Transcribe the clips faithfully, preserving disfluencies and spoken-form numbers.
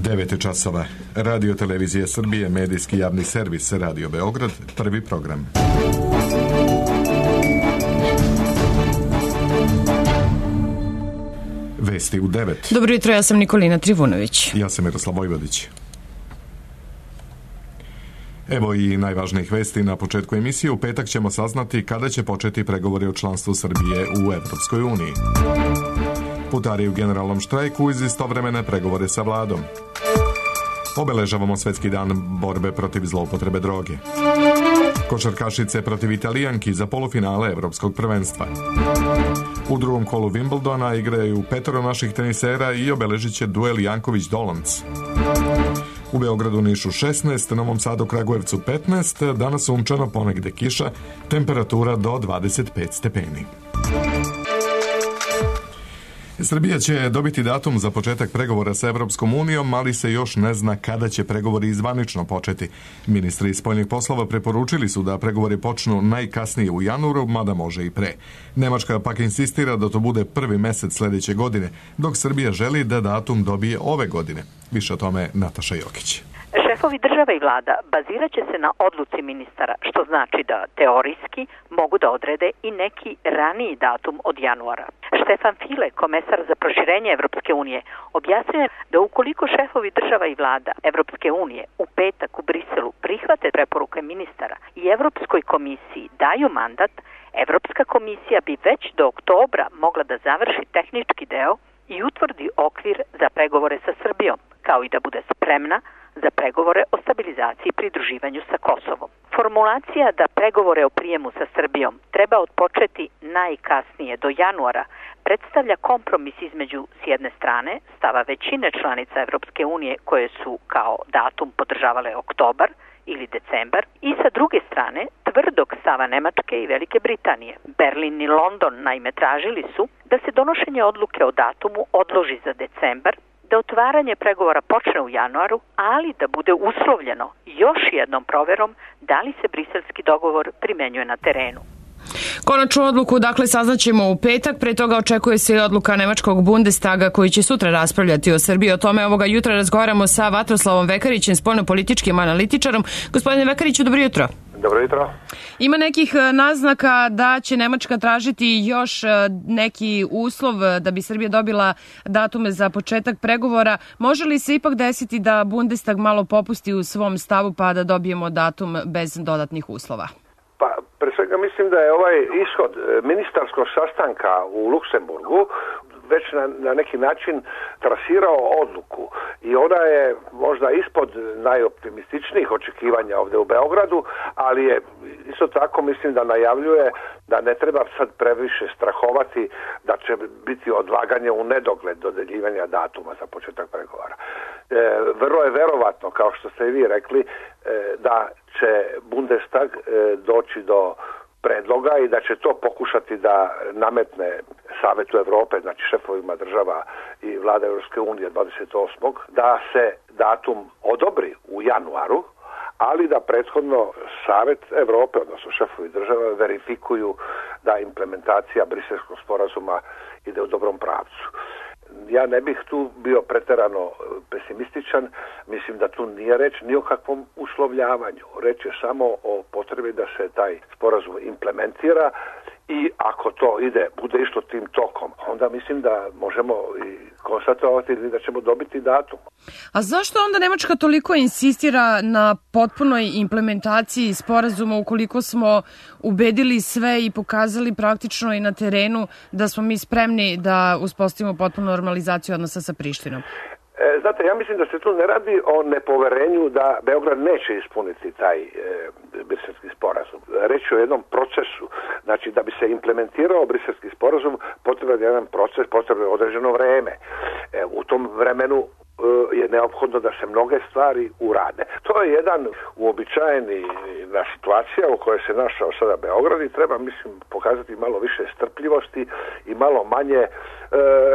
devet časova. Radio Televizije Srbije, medijski javni servis Radio Beograd, prvi program. Vesti u devet. Dobro jutro, ja sam Nikolina Trivunović. Ja sam Miroslav Vojvodić. Evo i najvažnijih vesti na početku emisije. U petak ćemo saznati kada će početi pregovori o članstvu Srbije u Evropskoj uniji. Putari u generalnom štrajku uz istovremene pregovore sa vladom. Obeležavamo Svetski dan borbe protiv zloupotrebe droge. Košarkašice protiv Italijanki za polufinale Evropskog prvenstva. U drugom kolu Wimbledona igraju petoro naših tenisera i obeležit će duel Janković-Dolanc. U Beogradu, Nišu šesnaest, Novom Sadu, Kragujevcu petnaest, danas sunčano, ponegde kiša, temperatura do dvadeset pet stepeni. Srbija će dobiti datum za početak pregovora sa Evropskom unijom, ali se još ne zna kada će pregovori zvanično početi. Ministri spoljnih poslova preporučili su da pregovori počnu najkasnije u januaru, mada može i pre. Nemačka pak insistira da to bude prvi mesec sledeće godine, dok Srbija želi da datum dobije ove godine. Više o tome Nataša Jokić. Šefovi država i vlada bazirat će se na odluci ministara, što znači da teorijski mogu da odrede i neki raniji datum od januara. Štefan File, komesar za proširenje Evropske unije, objasnio je da ukoliko šefovi država i vlada Evropske unije u petak u Briselu prihvate preporuke ministara i Evropskoj komisiji daju mandat, Evropska komisija bi već do oktobra mogla da završi tehnički deo i utvrdi okvir za pregovore sa Srbijom, kao i da bude spremna za pregovore o stabilizaciji i pridruživanju sa Kosovom. Formulacija da pregovore o prijemu sa Srbijom treba odpočeti najkasnije do januara predstavlja kompromis između s jedne strane stava većine članica Evropske unije koje su kao datum podržavale oktobar ili decembar i sa druge strane tvrdog stava Nemačke i Velike Britanije. Berlin i London naime tražili su da se donošenje odluke o datumu odloži za decembar, da otvaranje pregovora počne u januaru, ali da bude uslovljeno još jednom proverom da li se briselski dogovor primenjuje na terenu. Konačnu odluku, dakle, saznaćemo u petak. Pre toga očekuje se i odluka Nemačkog Bundestaga koji će sutra raspravljati o Srbiji. O tome ovoga jutra razgovaramo sa Vatroslavom Vekarićem, spoljnopolitičkim analitičarom. Gospodine Vekariću, dobro jutro. Dobro jutro. Ima nekih naznaka da će Nemačka tražiti još neki uslov da bi Srbija dobila datume za početak pregovora. Može li se ipak desiti da Bundestag malo popusti u svom stavu pa da dobijemo datum bez dodatnih uslova? Pa, pre svega mislim da je ovaj ishod ministarskog sastanka u Luksemburgu već na, na neki način trasirao odluku i ona je možda ispod najoptimističnijih očekivanja ovdje u Beogradu, ali je isto tako mislim da najavljuje da ne treba sad previše strahovati da će biti odlaganje u nedogled dodeljivanja datuma za početak pregovora. E, vrlo je verovatno, kao što ste i vi rekli, e, da će Bundestag e, doći do predloga i da će to pokušati da nametne Savetu Evrope, znači šefovima država i vlada Evropske unije dvadeset osmog da se datum odobri u januaru, ali da prethodno Savet Evrope, odnosno šefovi država, verifikuju da implementacija Briselskog sporazuma ide u dobrom pravcu. Ja ne bih tu bio preterano pesimističan, mislim da tu nije reč ni o kakvom uslovljavanju. Reč je samo o potrebi da se taj sporazum implementira i ako to ide, bude išlo tim tokom, onda mislim da možemo i konstatovati da ćemo dobiti datum. A zašto onda Nemačka toliko insistira na potpunoj implementaciji sporazuma ukoliko smo ubedili sve i pokazali praktično i na terenu da smo mi spremni da uspostavimo potpunu normalizaciju odnosa sa Prištinom? E, znate, ja mislim da se tu ne radi o nepoverenju da Beograd neće ispuniti taj e, briselski sporazum. Reč je o jednom procesu. Znači, da bi se implementirao briselski sporazum, potreban je jedan proces, potrebno je određeno vreme. E, u tom vremenu je neophodno da se mnoge stvari urade. To je jedan uobičajeni na situacija u kojoj se našao sada Beograd i treba, mislim, pokazati malo više strpljivosti i malo manje e,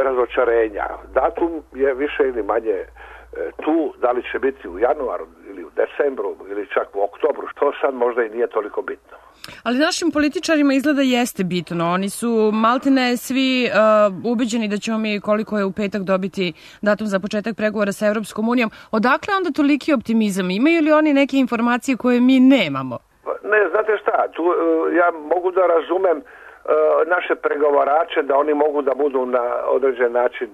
razočarenja. Datum je više ili manje e, tu, da li će biti u januaru ili u decembru ili čak u oktobru, što sad možda i nije toliko bitno. Ali našim političarima izgleda jeste bitno. Oni su maltene svi uh, ubeđeni da ćemo mi, koliko je u petak, dobiti datum za početak pregovora sa Evropskom unijom. Odakle onda toliki optimizam? Imaju li oni neke informacije koje mi nemamo? Ne, znate šta, tu ja mogu da razumem naše pregovarače da oni mogu da budu na određen način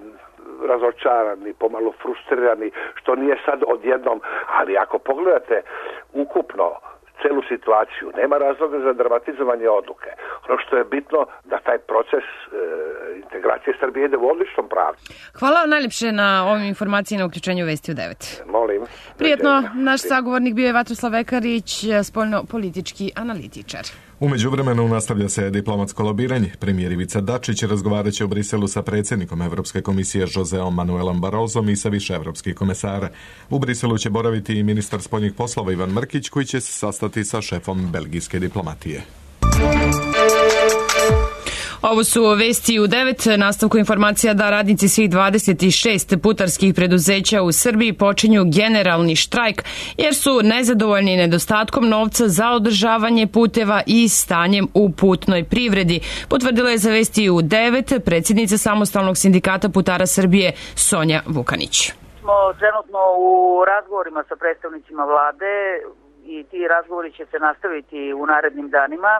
razočarani, pomalo frustrirani, što nije sad odjednom, ali ako pogledate ukupno celu situaciju, nema razloga za dramatizovanje odluke. Ono što je bitno da taj proces e, integracije Srbije ide u odličnom pravcu. Hvala vam najljepše na ovim informacijama na uključenju Vesti u devet. Molim. Prijetno, naš sagovornik bio je Vatroslav Vekarić, spoljno-politički analitičar. U međuvremenu nastavlja se diplomatsko lobiranje. Premijer Ivica Dačić razgovarat će u Briselu sa predsjednikom Evropske komisije Joseom Manuelom Barrosom i sa više evropskih komesara. U Briselu će boraviti i ministar spoljnih poslova Ivan Mrkić, koji će se sastati sa šefom belgijske diplomatije. Ovo su Vesti u devet, nastavku informacija da radnici svih dvadeset šest putarskih preduzeća u Srbiji počinju generalni štrajk jer su nezadovoljni nedostatkom novca za održavanje puteva i stanjem u putnoj privredi. Potvrdila je za Vesti u devet predsjednica Samostalnog sindikata putara Srbije Sonja Vukanić. Smo trenutno u razgovorima sa predstavnicima vlade i ti razgovori će se nastaviti u narednim danima,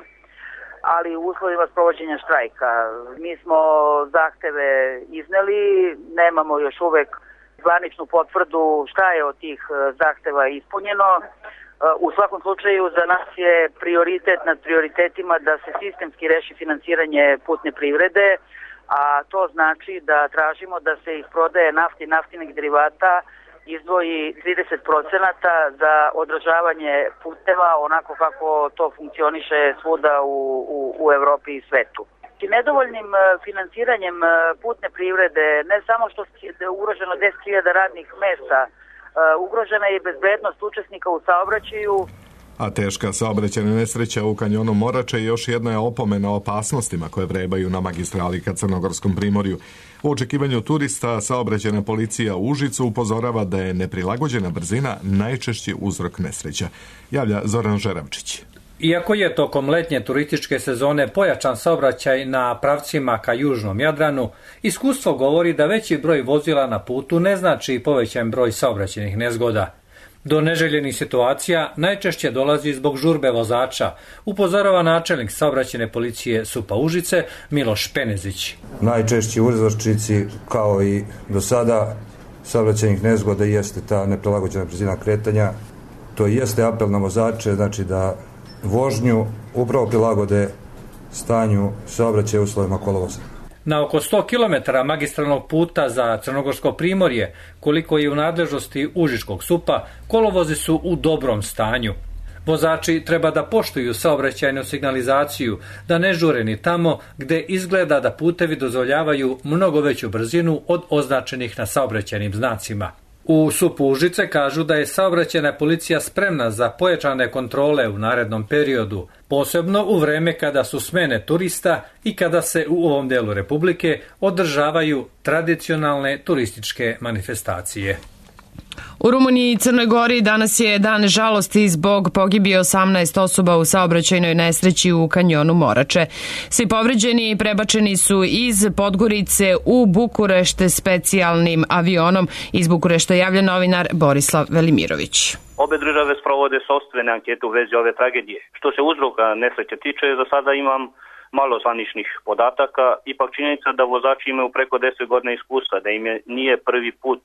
ali u uslovima sprovođenja štrajka. Mi smo zahteve izneli, nemamo još uvek zvaničnu potvrdu šta je od tih zahteva ispunjeno. U svakom slučaju za nas je prioritet nad prioritetima da se sistemski reši finansiranje putne privrede, a to znači da tražimo da se iz prodaje nafti i naftnih derivata izdvoji trideset procenata za održavanje puteva onako kako to funkcioniše svuda u, u, u Evropi i svetu. I nedovoljnim finansiranjem putne privrede ne samo što je ugroženo deset hiljada radnih mesta, ugrožena je i bezbednost učesnika u saobraćaju. A teška saobraćajna nesreća u kanjonu Morače još jedna je opomena o opasnostima koje vrebaju na magistrali ka Crnogorskom primorju. U očekivanju turista saobraćajna policija u Užicu upozorava da je neprilagođena brzina najčešći uzrok nesreća. Javlja Zoran Žeravčić. Iako je tokom letnje turističke sezone pojačan saobraćaj na pravcima ka južnom Jadranu, iskustvo govori da veći broj vozila na putu ne znači povećan broj saobraćajnih nezgoda. Do neželjenih situacija najčešće dolazi zbog žurbe vozača, upozorava načelnik saobraćajne policije SUP-a Užice Miloš Penezić. Najčešći uzročnici, kao i do sada saobraćajnih nezgoda, jeste ta neprilagođena brzina kretanja. To jeste apel na vozače, znači da vožnju upravo prilagode stanju saobraćaja u uslovima kolovoza. Na oko sto kilometara magistralnog puta za Crnogorsko primorje, koliko je u nadležnosti Užičkog SUP-a, kolovozi su u dobrom stanju. Vozači treba da poštuju saobraćajnu signalizaciju, da ne žure ni tamo gde izgleda da putevi dozvoljavaju mnogo veću brzinu od označenih na saobraćajnim znacima. U SUP-u Užice kažu da je saobraćajna policija spremna za pojačane kontrole u narednom periodu, posebno u vreme kada su smene turista i kada se u ovom delu Republike održavaju tradicionalne turističke manifestacije. U Rumuniji i Crnoj Gori danas je dan žalosti zbog pogibije osamnaest osoba u saobraćajnoj nesreći u kanjonu Morače. Svi povređeni prebačeni su iz Podgorice u Bukurešt specijalnim avionom. Iz Bukurešta javlja novinar Borislav Velimirović. Obe države sprovode sopstvene ankete u vezi ove tragedije. Što se uzroka nesreće tiče, za sada imam malo zvaničnih podataka. Ipak činjenica da vozači imaju preko deset godina iskustva, da im je nije prvi put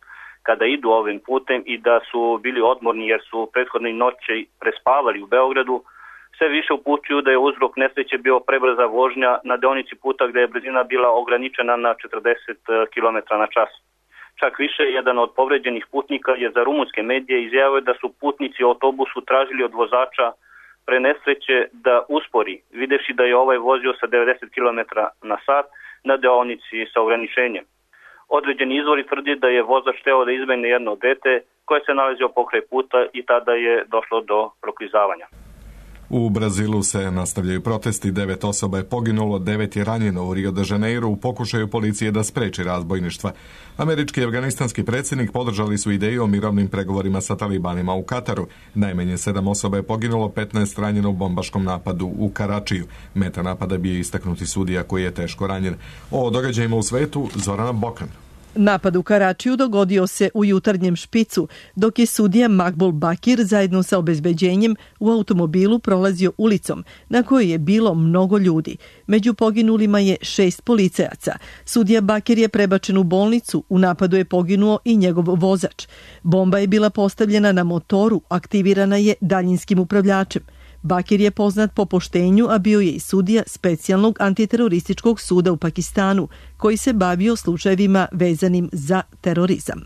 kada idu ovim putem i da su bili odmorni jer su prethodne noći prespavali u Beogradu, sve više upućuju da je uzrok nesreće bio prebrza vožnja na deonici puta gde je brzina bila ograničena na četrdeset kilometara na čas. Čak više, jedan od povređenih putnika je za rumunske medije izjavio da su putnici u autobusu tražili od vozača pre nesreće da uspori, videvši da je ovaj vozio sa devedeset kilometara na sat na deonici sa ograničenjem. Određeni izvori tvrdi da je vozač hteo da izbegne jedno dete koje se nalazio pokraj puta i tada je došlo do proklizavanja. U Brazilu se nastavljaju protesti, devet osoba je poginulo, devet je ranjeno u Rio de Janeiro u pokušaju policije da spreči razbojništva. Američki i afganistanski predsjednik podržali su ideju o mirovnim pregovorima sa talibanima u Kataru. Najmanje sedam osoba je poginulo, petnaest ranjeno u bombaškom napadu u Karačiju. Meta napada bio je istaknuti sudija koji je teško ranjen. O događajima u svetu Zorana Bokan. Napad u Karačiju dogodio se u jutarnjem špicu, dok je sudija Makbul Bakir zajedno sa obezbeđenjem u automobilu prolazio ulicom, na kojoj je bilo mnogo ljudi. Među poginulima je šest policajaca. Sudija Bakir je prebačen u bolnicu, u napadu je poginuo i njegov vozač. Bomba je bila postavljena na motoru, aktivirana je daljinskim upravljačem. Bakir je poznat po poštenju, a bio je i sudija specijalnog antiterorističkog suda u Pakistanu, koji se bavio slučajevima vezanim za terorizam.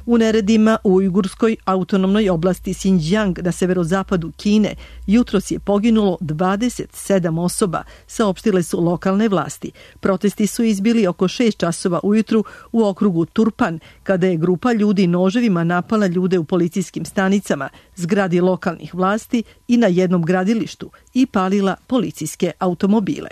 U neredima u ujgurskoj autonomnoj oblasti Xinjiang na severozapadu Kine jutros je poginulo dvadeset sedam osoba, saopštile su lokalne vlasti. Protesti su izbili oko šest časova ujutru u okrugu Turpan, kada je grupa ljudi noževima napala ljude u policijskim stanicama, zgradi lokalnih vlasti i na jednom gradilištu i palila policijske automobile.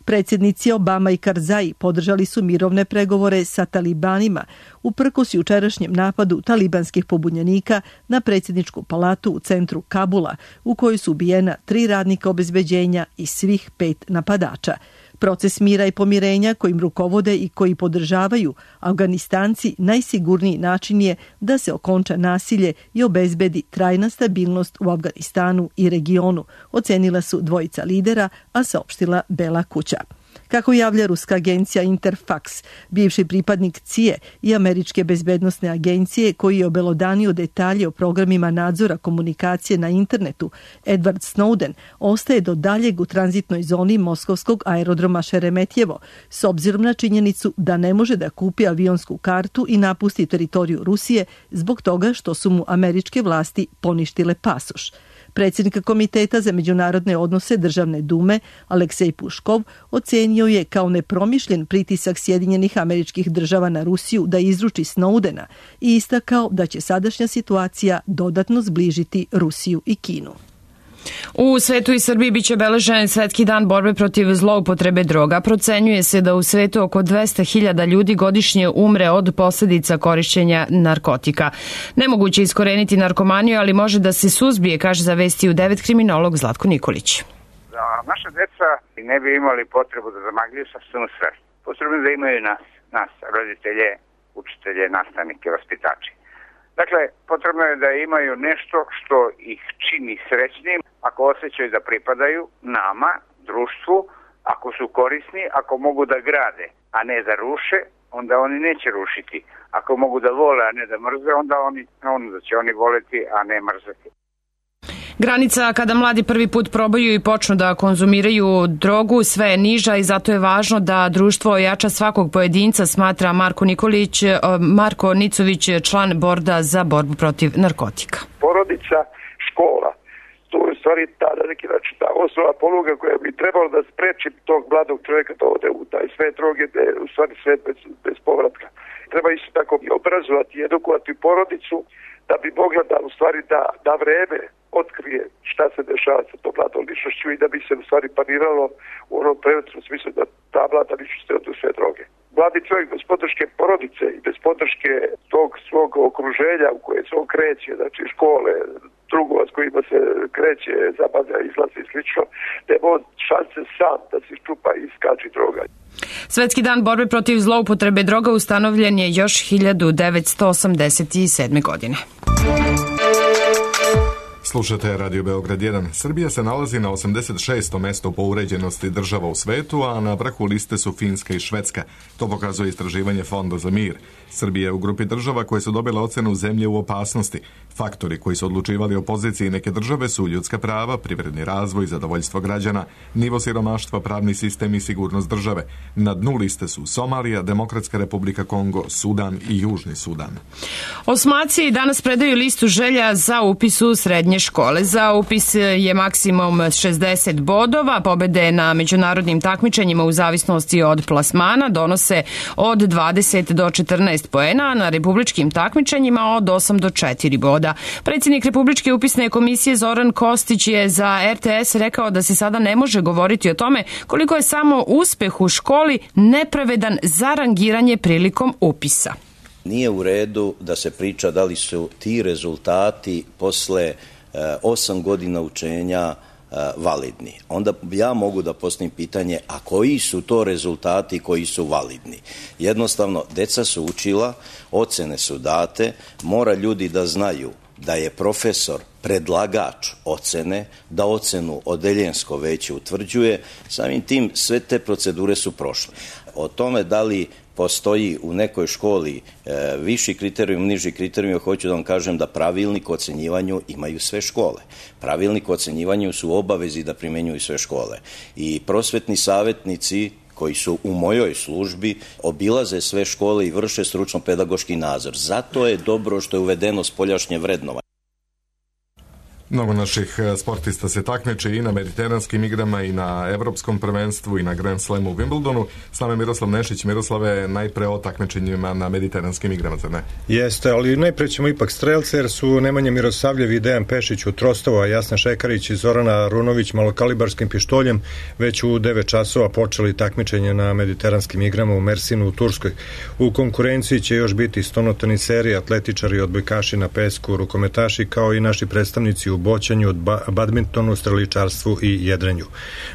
Predsjednici Obama i Karzai podržali su mirovne pregovore sa talibanima uprkos jučerašnjem napadu talibanskih pobunjenika na predsjedničku palatu u centru Kabula, u kojoj su ubijena tri radnika obezbeđenja i svih pet napadača. Proces mira i pomirenja kojim rukovode i koji podržavaju Afganistanci najsigurniji način je da se okonča nasilje i obezbedi trajna stabilnost u Afganistanu i regionu, ocenila su dvojica lidera, a saopštila Bela kuća. Kako javlja ruska agencija Interfax, bivši pripadnik C I A i američke bezbednosne agencije koji je obelodanio detalje o programima nadzora komunikacije na internetu, Edward Snowden ostaje do daljeg u tranzitnoj zoni moskovskog aerodroma Šeremetjevo, s obzirom na činjenicu da ne može da kupi avionsku kartu i napusti teritoriju Rusije zbog toga što su mu američke vlasti poništile pasoš. Predsjednik Komiteta za međunarodne odnose Državne dume Aleksej Puškov ocenio je kao nepromišljen pritisak Sjedinjenih Američkih Država na Rusiju da izruči Snowdena i istakao da će sadašnja situacija dodatno zbližiti Rusiju i Kinu. U svetu i Srbiji biće obeležen Svetski dan borbe protiv zloupotrebe droga. Procenjuje se da u svetu oko dvesta hiljada ljudi godišnje umre od posljedica korišćenja narkotika. Nemoguće iskoreniti narkomaniju, ali može da se suzbije, kaže za Vesti u devet kriminolog Zlatko Nikolić. Da naša deca ne bi imali potrebu da zamagljuju sopstvenu svest. Potrebno da imaju nas, nas, roditelje, učitelje, nastavnike, vaspitači. Dakle, potrebno je da imaju nešto što ih čini srećnim, ako osjećaju da pripadaju nama, društvu, ako su korisni, ako mogu da grade, a ne da ruše, onda oni neće rušiti. Ako mogu da vole, a ne da mrze, onda, oni, onda će oni voleti, a ne mrzeti. Granica kada mladi prvi put probaju i počnu da konzumiraju drogu sve je niža i zato je važno da društvo ojača svakog pojedinca, smatra Marko Nikolić, Marko Nicović, član borda za borbu protiv narkotika. Porodica, škola, to je u stvari ta, na neki način, ta osnova poluga koja bi trebala da spreči tog mladog čovjeka da ode u taj svet droge, da je u stvari svet bez, bez povratka. Treba isto tako obrazovati i edukovati porodicu da bi mogla da u stvari da, da vreme otkrije šta se dešava sa tom mladom ličnošću i da bi se u stvari pariralo u onom preventivnom smislu da ta mlada ličnost ode u sve droge. Mladi čovjek bez podrške porodice i bez podrške tog svog okruženja u koje se on kreće, znači škole, drugova s kojima se kreće, zabavlja, izlazi i slično, nema on šanse sam da se iščupa i iskači droga. Svetski dan borbe protiv zloupotrebe droga ustanovljen je još hiljadu devetsto osamdeset sedme. godine. Slušate Radio Beograd jedan. Srbija se nalazi na osamdeset šestom mestu po uređenosti država u svetu, a na vrhu liste su Finska i Švedska. To pokazuje istraživanje Fonda za mir. Srbija je u grupi država koje su dobile ocenu zemlje u opasnosti. Faktori koji su odlučivali o poziciji neke države su ljudska prava, privredni razvoj, zadovoljstvo građana, nivo siromaštva, pravni sistem i sigurnost države. Na dnu liste su Somalija, Demokratska republika Kongo, Sudan i Južni Sudan. Osmaci danas predaju listu želja za upis u srednje srednje škole. Za upis je maksimum šezdeset bodova, pobede na međunarodnim takmičenjima u zavisnosti od plasmana donose od dvadeset do četrnaest poena, a na republičkim takmičenjima od osam do četiri boda. Predsjednik Republičke upisne komisije Zoran Kostić je za er te es rekao da se sada ne može govoriti o tome koliko je samo uspeh u školi nepravedan za rangiranje prilikom upisa. Nije u redu da se priča da li su ti rezultati posle e, osam godina učenja e, validni. Onda ja mogu da postavim pitanje, a koji su to rezultati koji su validni? Jednostavno, deca su učila, ocene su date, mora ljudi da znaju da je profesor predlagač ocene, da ocenu odeljensko veće utvrđuje, samim tim sve te procedure su prošle. O tome da li postoji u nekoj školi e, viši kriterijum, niži kriterijum, hoću da vam kažem da pravilnik o ocenjivanju imaju sve škole. Pravilnik o ocenjivanju su u obavezi da primenjuju sve škole. I prosvetni savjetnici koji su u mojoj službi obilaze sve škole i vrše stručno-pedagoški nadzor. Zato je dobro što je uvedeno spoljašnje vrednovanje. Mnogo naših sportista se takmiče i na mediteranskim igrama i na evropskom prvenstvu i na Grand Slamu u Wimbledonu. S nama je Miroslav Nešić. Miroslave, najpre o takmičenjima na mediteranskim igrama, zar ne? Jeste, ali najpre ćemo ipak strelce, jer su Nemanja Mirosavljev i Dejan Pešić u Trostovo, a Jasna Šekarić i Zorana Runović malokalibarskim pištoljem već u devet časova počeli takmičenje na mediteranskim igrama u Mersinu u Turskoj. U konkurenciji će još biti stonoteniseri, atletičari, odbojkaši na pesku, rukometaši, kao i naši predstavnici u boćanju, badmintonu, streličarstvu i jedrenju.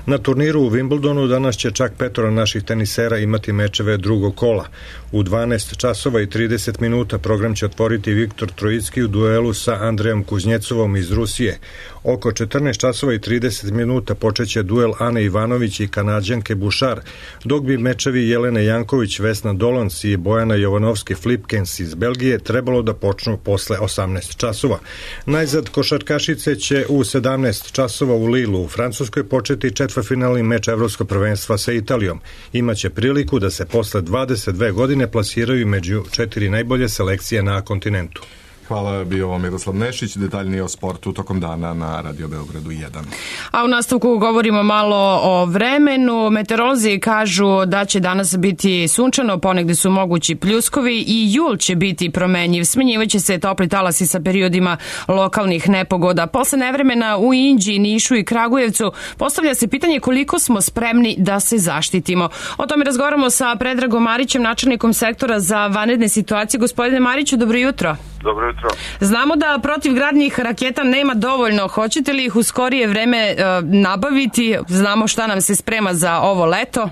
Na turniru u Wimbledonu danas će čak petoro naših tenisera imati mečeve drugog kola. U dvanaest časova i trideset minuta program će otvoriti Viktor Trojicki u duelu sa Andrejom Kuznjecovom iz Rusije. Oko četrnaest časova i trideset minuta počeće duel Ane Ivanović i Kanadžanke Bušar, dok bi mečevi Jelene Janković, Vesna Dolans i Bojana Jovanovski-Flipkens iz Belgije trebalo da počnu posle osamnaest časova. Najzad košarkašice će u sedamnaest časova u Lilu u Francuskoj početi četvrtfinalni meč Evropskog prvenstva sa Italijom. Imaće priliku da se posle dvadeset dve godine plasiraju među četiri najbolje selekcije na kontinentu. Hvala, bio ovo Miroslav Nešić, detaljnije o sportu tokom dana na Radio Beogradu jedan. A u nastavku govorimo malo o vremenu. Meteorolozi kažu da će danas biti sunčano, ponegde su mogući pljuskovi i jul će biti promenjiv. Smenjivaće se topli talasi sa periodima lokalnih nepogoda. Posle nevremena u Inđiji, Nišu i Kragujevcu postavlja se pitanje koliko smo spremni da se zaštitimo. O tome razgovaramo sa Predragom Marićem, načelnikom sektora za vanredne situacije. Gospodine Mariću, dobro jutro. Dobro jutro. Znamo da protivgradnih raketa nema dovoljno. Hoćete li ih u skorije vreme e, nabaviti? Znamo šta nam se sprema za ovo leto.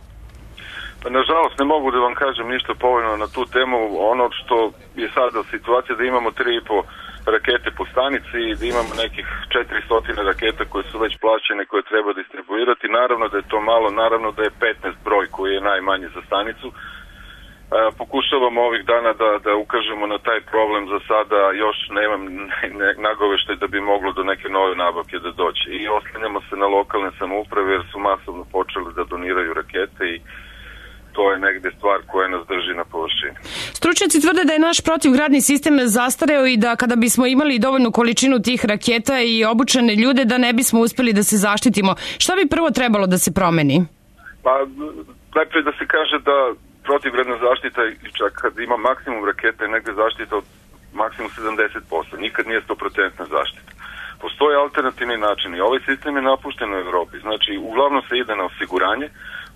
Pa, nažalost, ne mogu da vam kažem ništa povoljno na tu temu. Ono što je sada situacija da imamo tri i po rakete po stanici i da imamo nekih četiristo raketa koje su već plaćene, koje treba distribuirati. Naravno da je to malo, naravno da je petnaest broj koji je najmanji za stanicu. Pokušavamo ovih dana da, da ukažemo na taj problem. Za sada još nemam ne, nagoveštaj da bi moglo do neke nove nabavke da doći. I oslanjamo se na lokalne samouprave jer su masovno počeli da doniraju rakete i to je negde stvar koja nas drži na površini. Stručnjaci tvrde da je naš protivgradni sistem zastareo i da kada bismo imali dovoljnu količinu tih raketa i obučene ljude da ne bismo uspeli da se zaštitimo. Šta bi prvo trebalo da se promeni? Pa najprej da se kaže da protivgradna zaštita, čak kad ima maksimum raketa, je negde zaštita od maksimum sedamdeset posto. Nikad nije sto posto zaštita. Postoje alternativni načini. Ovaj sistem je napušten u Evropi. Znači, uglavnom se ide na osiguranje,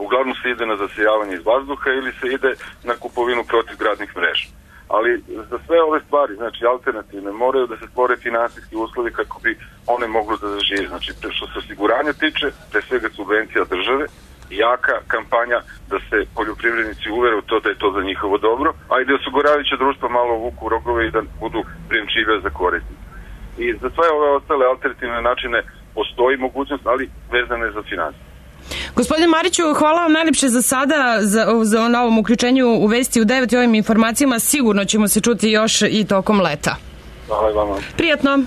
uglavnom se ide na zasijavanje iz vazduha ili se ide na kupovinu protivgradnih mreža. Ali za sve ove stvari, znači alternativne, moraju da se stvore finansijski uslovi kako bi one moglo da zažive. Znači, što se osiguranja tiče, pre svega subvencija države, jaka kampanja da se poljoprivrednici uvere u to da je to za njihovo dobro, a i da osiguravajuće društva malo vuku rogove i da budu prijemčive za korisnike. I za sve ove ostale alternativne načine postoji mogućnost, ali vezane za finansije. Gospodine Mariću, hvala vam najlepše za sada za, za na ovom uključenju u Vesti u devet i ovim informacijama. Sigurno ćemo se čuti još i tokom leta. Hvala i vama. Prijatno.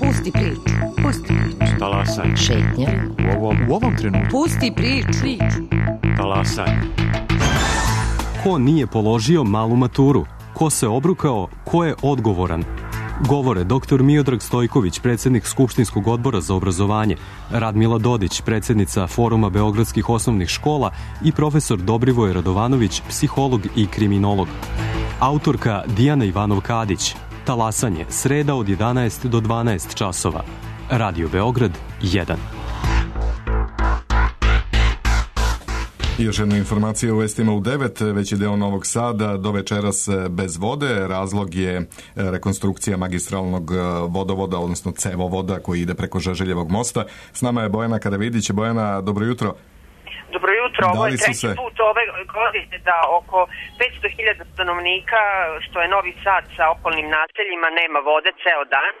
Pusti priču, pusti priču. Talasaj. Šetnja. U ovom, u ovom trenutku. Pusti priču. Talasaj. Ko nije položio malu maturu? Ko se obrukao, ko je odgovoran? Govore doktor Miodrag Stojković, predsjednik Skupštinskog odbora za obrazovanje, Radmila Dodić, predsjednica Foruma beogradskih osnovnih škola i profesor Dobrivoj Radovanović, psiholog i kriminolog. Autorka Dijana Ivanov-Kadić. Talasanje, sreda od jedanaest do dvanaest časova. Radio Beograd jedan. I još jedna informacija u vestima u devet, veći deo Novog Sada do večeras bez vode. Razlog je rekonstrukcija magistralnog vodovoda, odnosno cevovoda koji ide preko Žeželjevog mosta. S nama je Bojana Karavidić. Bojana, dobro jutro. Dobro jutro, ovo je treći se... put ove godine da oko petsto hiljada stanovnika, što je Novi Sad sa okolnim naseljima, nema vode ceo dan.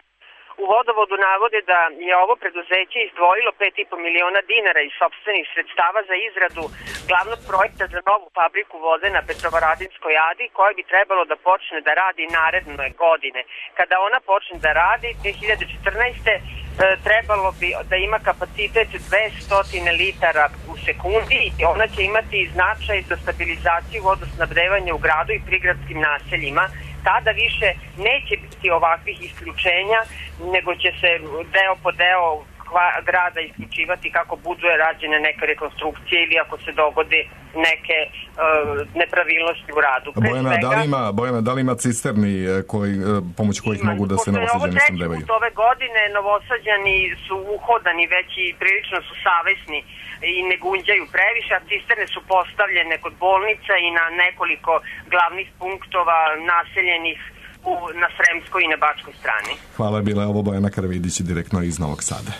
U vodovodu navode da je ovo preduzeće izdvojilo pet i po miliona dinara iz sopstvenih sredstava za izradu glavnog projekta za novu fabriku vode na Petrovaradinskoj adi, koja bi trebalo da počne da radi naredne godine. Kada ona počne da radi, dve hiljade četrnaeste. trebalo bi da ima kapacitet dvesta litara u sekundi i ona će imati značaj za stabilizaciju vodosnabdevanja u gradu i prigradskim naseljima. Tada više neće biti ovakvih isključenja, nego će se deo po deo grada isključivati kako budu rađene neke rekonstrukcije ili ako se dogode neke uh, nepravilnosti u radu. Bojana, svega, da li ima, Bojana, da li ima cisterni koji, pomoć kojih ima, mogu da se novosađani snabdevaju? Ove godine novosađani su uhodani već i prilično su savesni i ne gunđaju previše, a cisterne su postavljene kod bolnica i na nekoliko glavnih punktova naseljenih u, na Sremskoj i na Bačkoj strani. Hvala, bila je ovo Bojana Karavidić direktno iz Novog Sada.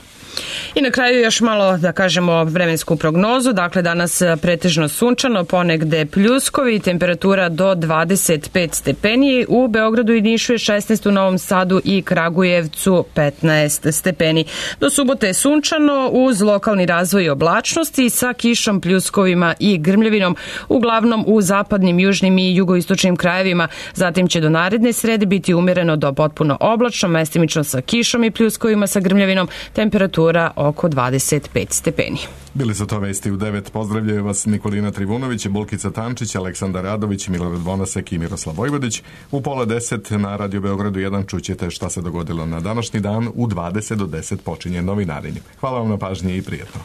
I na kraju još malo da kažemo vremensku prognozu. Dakle, danas pretežno sunčano, ponegde pljuskovi, temperatura do dvadeset pet stepeni. U Beogradu i Nišu je šesnaest, u Novom Sadu i Kragujevcu petnaest stepeni. Do subote je sunčano uz lokalni razvoj oblačnosti sa kišom, pljuskovima i grmljavinom, uglavnom u zapadnim, južnim i jugoistočnim krajevima. Zatim će do naredne srede biti umjereno do potpuno oblačno, mestimično sa kišom i pljuskovima sa grmljavinom, temperatura oko dvadeset pet stepeni. Bili su to vesti u devet. Pozdravljaju vas Nikolina Trivunović, Bulkica Tančić, Aleksandar Radović, Milorad Vonasek i Miroslav Vojvodić. U pola deset na Radio Beogradu jedan čućete šta se dogodilo na današnji dan. U dvadeset do deset počinje novinarenje. Hvala vam na pažnji i prijetno.